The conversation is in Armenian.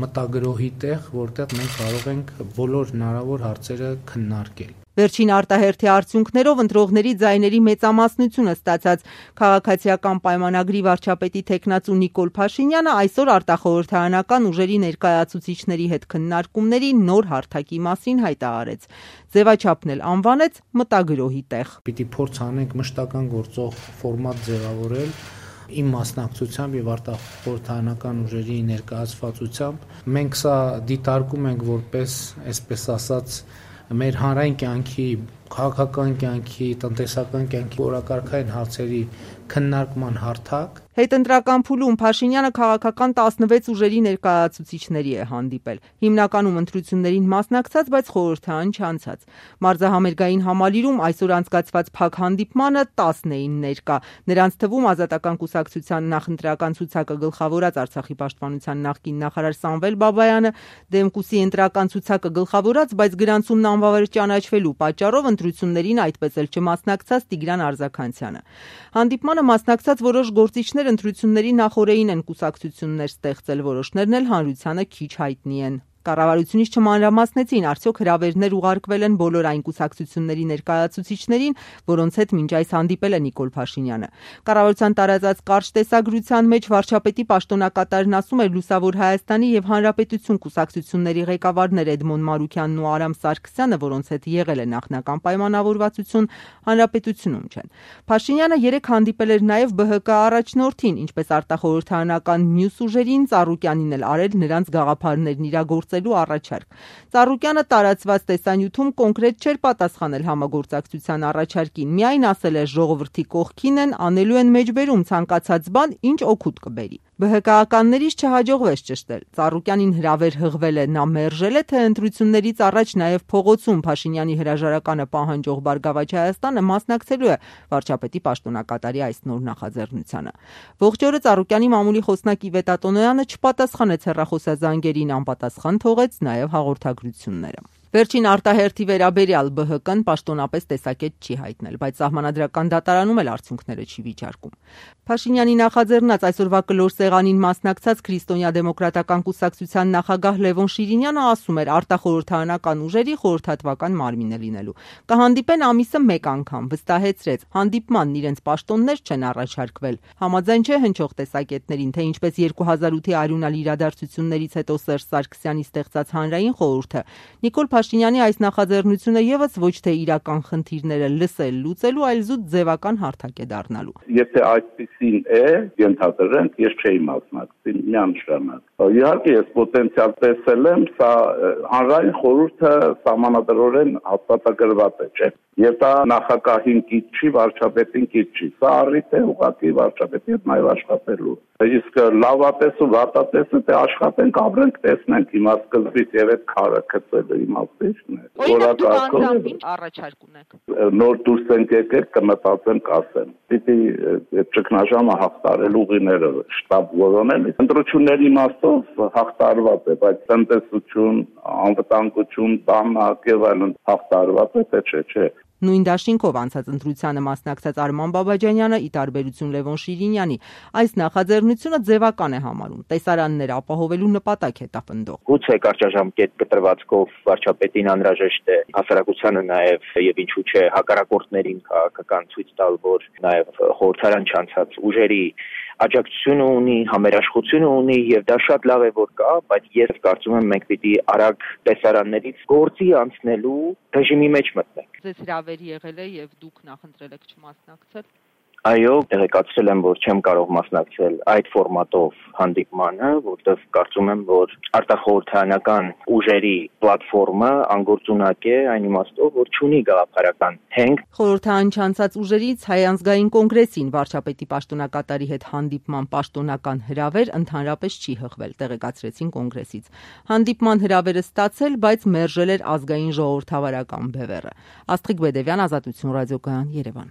մտագրոհի տեղ, որտեղ մենք կարող ենք բոլոր հնարավոր հարցերը քննարկել։ Վերջին արտահերթի արդյունքներով ընտրողների ձայների մեծամասնությունը ստացած քաղաքացիական պայմանագրի վարչապետի թեկնածու Նիկոլ Փաշինյանը այսօր արտախորհրդարանական ուժերի ներկայացուցիչների հետ քննարկումների նոր հարթակի մասին հայտարարեց։ Ձևաչափն էլ անվանեց մտագրոհի տեղ։ Պիտի փորձ անենք մշտական գործող ֆորմատ ձևավորել իմ մասնակցությամբ եւ արտախորհրդարանական ուժերի ներկայացվածությամբ։ Մենք սա դիտարկում ենք որպես, այսպես ասած, մեր հանրային կյանքի, քաղաքական կյանքի, տնտեսական կյանքի օրակարգային հարցերի քննարկման հարթակ։ Հետընտրական փուլում Փաշինյանը քաղաքական 16 ուժերի ներկայացուցիչների է հանդիպել։ Հիմնականում ընտրություններին մասնակցած, բայց խորհրդարան չանցած։ Մարզահամերգային համալիրում այսօր անցկացված փակ հանդիպմանը 10 էին ներկա։ Նրանց թվում Ազատական կուսակցության նախընտրական ցուցակը գլխավորած Արցախի պաշտպանության նախկին նախարար Սամվել Բաբայանը, Դեմկուսի ընտրական ցուցակը գլխավորած, բայց գրանցումն անվավեր ճանաչվելու պատճառով ընտրություններին այդպես էլ չմասնակցած Տիգրան Արզականցյանը։ Հանդիպմանը մասնակցած որոշ գործիչներ ընտրությունների նախօրեին են կուսակցություններ ստեղծել, որոշներն էլ հանրությանը քիչ հայտնի են։ Կառավարությունից չմանրամասնեցին, արդյոք հրավերներ ուղարկվել են բոլոր այն կուսակցությունների ներկայացուցիչներին, որոնց հետ մինչ այս հանդիպել է Նիկոլ Փաշինյանը։ Կառավարության տարածած կարճ տեսագրության մեջ վարչապետի պաշտոնակատարն ասում էր Լուսավոր Հայաստանի եւ Հանրապետություն կուսակցությունների ղեկավարներ Էդմոն Մարուքյանն ու Արամ Սարգսյանը, որոնց հետ եղել է նախնական պայմանավորվածություն, Հանրապետությունում չեն։ Փաշինյանը երեք հանդիպել էր նաեւ ԲՀԿ առաջնորդին, ինչպես արտախորհրդարանական մյուս ուժերին, Ծառուկյանին էլ արել նրանց գաղափարներն իրագործելու առաջարկ։ Ծառուկյանը տարածված տեսանյութում կոնկրետ չէր պատասխանել համագործակցության առաջարկին, միայն ասել է ժողովրդի կողքին են, անելու են մեջբերում ցանկացած բան, ինչ օգուտ կբերի։ ԲՀԿ-ականներից չհաջողվեց ճշտել։ Ծառուկյանին հրավեր հղվել է, նա մերժել է, թե ընտրություններից առաջ նաև փողոցում Փաշինյանի հրաժարականը պահանջող Բարգավաճ Հայաստանը մասնակցելու է վարչապետի պաշտոնակատարի այս նոր նախաձեռնությանը։ Ողջ օրը Ծառուկյանի մամուլի խոսնակ Իվետ Ատոնոյանը չպատասխանեց հեռախոսազանգերին, անպատասխան թողեց նաև հաղորդագրությունները։ Վերջին արտահերթի վերաբերյալ ԲՀԿ-ն պաշտոնապես տեսակետ չի հայտնել, բայց Սահմանադրական դատարանում էլ արդյունքները չի վիճարկում։ Փաշինյանի նախաձեռնած այսօրվա կլոր սեղանին մասնակցած Քրիստոնյա-դեմոկրատական կուսակցության նախագահ Լևոն Շիրինյանը ասում էր արտախորհրդարանական ուժերի խորհրդատվական մարմին է լինելու։ Կհանդիպեն ամիսը մեկ անգամ, վստահեցրեց, հանդիպմանն իրենց պաշտոններ չեն առաջարկվել։ Համաձայն չէ հնչող տեսակետներին, թե ինչպես 2008-ի արյունալ իրադարձություններից հետո Սերժ Սարգսյանի ստեղծած հանրային խորհուրդը Նիկոլ Փաշինյանի այս նախաձեռնությունը եւս ոչ թե իրական խնդիրները լսել, լուծելու, այլ զուտ ձևական հարթակ է դառնալու։ Եթե այդպեսին է, ենթադրենք, ես չէի մասնակցի միանշանակ։ Իհարկե ես պոտենցիալ տեսել եմ, սա հանրային խորհուրդը սահմանադրորեն հաստատագրված է, չէ՞։ Եվ դա նախագահին կից չի, վարչապետին կից չի։ Սա առիթ է ուղղակի վարչապետի հետ նաև աշխատելու։ Իսկ լավատես ու վատատեսը դե աշխատենք, ապրենք, տեսնենք հիմա սկզբից եւ այդ քարը գցելու իմաստիչն է։ Օրինակ առաջարկ ունեք։ Նոր դուրս ենք եկել, կմտածեմ, կասեմ։ Պիտի այդ ճգնաժամը հաղթարել ուղիները շտաբ որոնել։ Ընտրությունների իմաստով հաղթարված է, բայց տնտեսություն, անվտանգություն, բանակ եւ այլն հաղթարված է, թե չէ։ Նույն դաշինքով անցած ընտրությանը մասնակցած Արման Բաբաջանյանը, ի տարբերություն Լևոն Շիրինյանի, այս նախաձեռնությունը ձևական է համարում, տեսարաններ ապահովելու նպատակ է տապնդող։ Գուցե կարճաժամկետ կտրվածքով վարչապետին անհրաժեշտ է հասարակությանը նաև եւ ինչու՞ չէ հակառակորդներին քաղաքական ցույց տալ, որ նաև խորհրդարան չանցած ուժերի աջակցությունը ունի, համերաշխությունը ունի եւ դա շատ լավ է որ կա, բայց ես կարծում եմ մենք պիտի արագ տեսարաններից գործի անցնելու ռեժիմի մեջ մտնենք։ Ձեզ հրավեր եղել է եւ դուք նախընտրել եք չմասնակցել։ Այո, տեղեկացրել եմ, որ չեմ կարող մասնակցել այդ ֆորմատով հանդիպմանը, որտեղ կարծում եմ, որ արտախորհրդարանական ուժերի պլատֆորմը անգործունակ է այն իմաստով, որ չունի գաղափարական հենք։ Խորհրդարան չանցած ուժերից Հայ ազգային կոնգրեսին վարչապետի պաշտոնակատարի հետ հանդիպման պաշտոնական հրավեր ընդհանրապես չի հղվել, տեղեկացրեցին կոնգրեսից։ Հանդիպման հրավերը ստացել, բայց մերժել էր ազգային ժողովրդավարական բևեռը։ Աստղիկ Բեդևյան, Ազատություն ռադիոկայան, Երևան։